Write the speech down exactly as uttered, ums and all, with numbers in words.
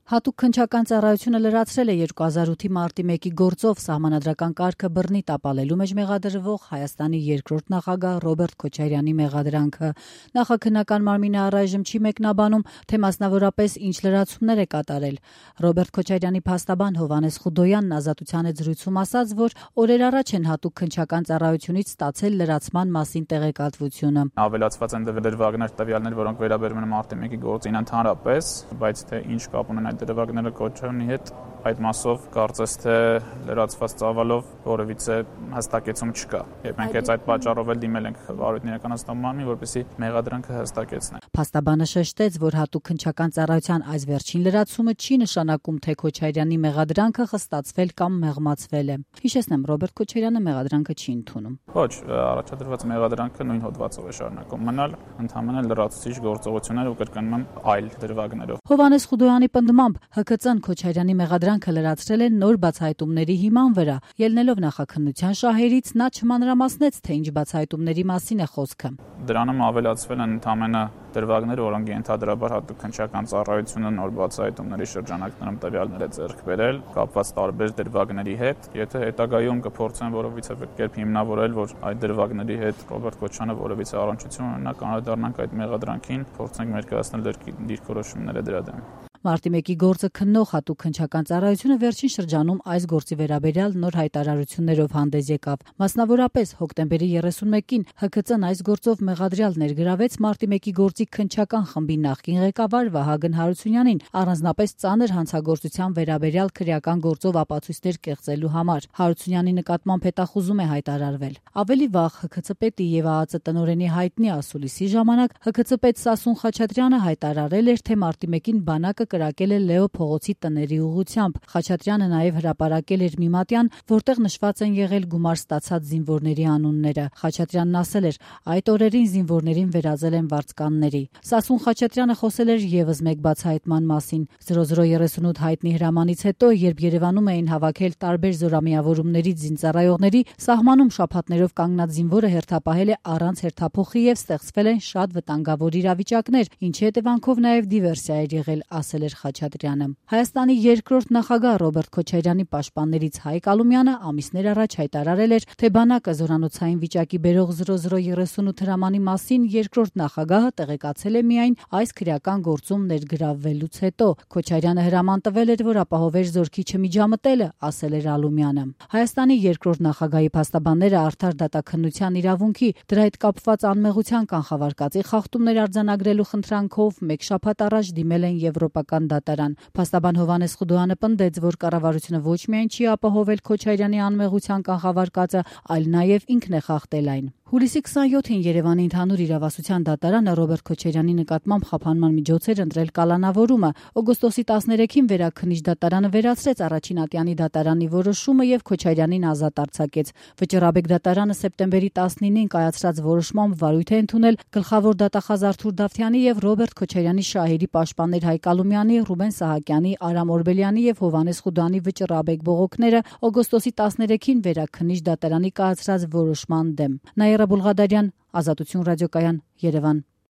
Հատուկ քննչական ծառայությունը լրացրել է երկու հազար ութի մարտի մեկի գործով սահմանադրական կարգը բռնի տապալելու մեջ մեղադրվող Հայաստանի երկրորդ նախագահ Ռոբերտ Քոչարյանի մեղադրանքը։ Նախաքննական մարմինը առայժմ չի մեկնաբանում, թե մասնավորապես ինչ լրացումներ է կատարել։ Ռոբերտ Քոչարյանի փաստաբան Հովհաննես Խուդոյանն Ազատության հետ զրույցում ասաց, որ օրեր առաջ են հատուկ քննչական ծառայությունից ստացել լրացման մասին տեղեկատվությունը։ Ավելացված են դրվագներ, տվյալներ, որոնք վերաբերում են մարտի մեկի գործին ընդհանրապես, բայց թե ինչ կապ ունեն այդ դրվագները Քոչարյանի հետ, այդ մասով կարծես թե լրացված ծավալով որևիցե հստակեցում չկա։ Եվ մենք այդ պատճառով էլ դիմել ենք վարույթն իրականացնող մարմնին, որպեսզի մեղադրանքը հստակեցնեն։ Փաստաբանը շեշտեց, որ հատուկ քննչական ծառայության այս վերջին լրացումը չի նշանակում, թե Քոչարյանի մեղադրանքը խստացվել կամ մեղմացվել է։ Հիշեցնեմ, Ռոբերտ Քոչարյանը մեղադրանքը չի ընդունում։ Ոչ, առաջադրված մեղադրանքը նույն հոդվածով է շարունակում մնալ, ընդհանրապես լրացուցիչ գործողություններ ու կրկնում այլ դրվագներով։ Հովհաննես Խուդոյանի պնդմամբ Հ K Ծ-ն Քոչարյանի մեղադրանքը լրացրել է նոր բացահայտումների հիման վրա։ Ելնելով նախաքննության շահերից նա չմանրամասնեց, թե ինչ բացահայտումների մասին է խոսքը։ Դրանում ավելացվել են ընդհանրապես դրվագները, որոնք ենթադրաբար հատուկ քննչական ծառայությունը նոր բացահայտումների շրջանակներում տվյալներ է ձեռք բերել, կապված տարբեր դրվագների հետ։ Եթե հետագայում կփորձեն որևիցե կերպ հիմնավորել, որ այդ դրվագների հետ Ռոբերտ Քոչարյանը որևիցե առնչություն ունենա, կանրադառնանք այդ մեղադրանքին, փորձենք ներկայացնել դիրքորոշումները դրա դեմ։ Մարտի մեկի գործը քննող հատուկ քննչական ծառայությունը վերջին շրջանում այս գործի վերաբերյալ նոր հայտարարություններով հանդես եկավ։ Մասնավորապես հոկտեմբերի երեսունմեկին Հ K Ծ-ն այս գործով մեղադրյալ ներգրավեց Մարտի մեկի գործի քննչական խմբի նախկին ղեկավար Վահագն Հարությունյանին առանձնապես ծանր հանցագործության վերաբերյալ քրեական գործով ապացույցներ կեղծելու համար։ Հարությունյանի նկատմամբ հետախուզում է հայտարարվել։ Ավելի վաղ Հ K Ծ պետի եւ Ա Ծ տնօրենի հայտնի ասուլիսի ժամանակ Հ K Ծ պետ Սասուն Խաչատրյանը հայտարարել էր, թե Մարտի մեկին բանակը կրակել է Լեո փողոցի տների ուղղությամբ։ Խաչատրյանը նաև հրապարակել էր մի մատյան, որտեղ նշված են եղել գումար ստացած զինվորների անունները։ Խաչատրյանն ասել էր, այդ օրերին զինվորներին վերածել են վարձկանների։ Սասուն Խաչատրյանը խոսել էր եւս մեկ բացահայտման մասին։ զրո զրո երեսունութ հայտնի հրամանից հետո, երբ Երևանում էին հավաքել տարբեր զորամիավորումներից զինծառայողների, սահմանում շաբաթներով կանգնած զինվորը հերթապահել է առանց հերթափոխի եւ ստեղծվել են շատ վտանգավոր իրավիճակներ, ինչի հետևանքով նաև դիվերսիա էր եղել, ասել էր Խաչատրյանը։ Հայաստանի երկրորդ նախագահ Ռոբերտ Քոչարյանի պաշտպաններից Հայկ Ալումյանը ամիսներ առաջ հայտարարել էր, թե բանակը զորանոցային վիճակի բերող զրո զրո երեսունութ հրամանի մասին երկրորդ նախագահը տեղեկացել է միայն այս քրեական գործում ներգրավվելուց հետո։ Քոչարյանը հրաման տվել էր, որ ապահովեր զորքի չմիջամտելը, ասել էր Ալումյանը։ Հայաստանի երկրորդ նախագահի փաստաբանները արդար դատաքննության իրավունքի, դրա հետ կապված անմեղության կանխավարկածի խախտումներ արձանագրելու խնդրանքով մեկ շաբաթ առաջ դիմել են Եվրոպական դատարան։ Փաստաբան Հովհաննես Խուդոյանը պնդեց, որ կառավարությունը ոչ միայն չի ապահովել Քոչարյանի անմեղության կանխավարկածը, այլ նաև ինքն է խախտել այն։ Հուլիսի քսանյոթին Երևանի ընդհանուր իրավասության դատարանը Ռոբերտ Քոչարյանի նկատմամբ խափանման միջոցեր ընտրել կալանավորումը։ Օգոստոսի տասներեքին վերաքննիչ դատարանը վերացրեց առաջին ատյանի դատարանի որոշումը եւ Քոչարյանին ազատ արձակեց։ Վճռաբեկ դատարանը սեպտեմբերի տասնինին կայացրած որոշմամբ վարույթ է ընդունել գլխավոր դատախազ Արթուր Դավթյանի եւ Ռոբերտ Քոչարյանի շահերի պաշտպաններ Հայկ Ալումյանի, Ռուբեն Սահակյանի, Արամ Օրբելյանի եւ Հովհաննես Խուդոյանի վճռաբեկ բողոքները օգոստոսի տասներեքին վերաքննիչ դատարանի կայացրած որոշման դեմ։ Նաիրա Բուլղադարյան, Ազատություն ռադիոկայան, Երևան։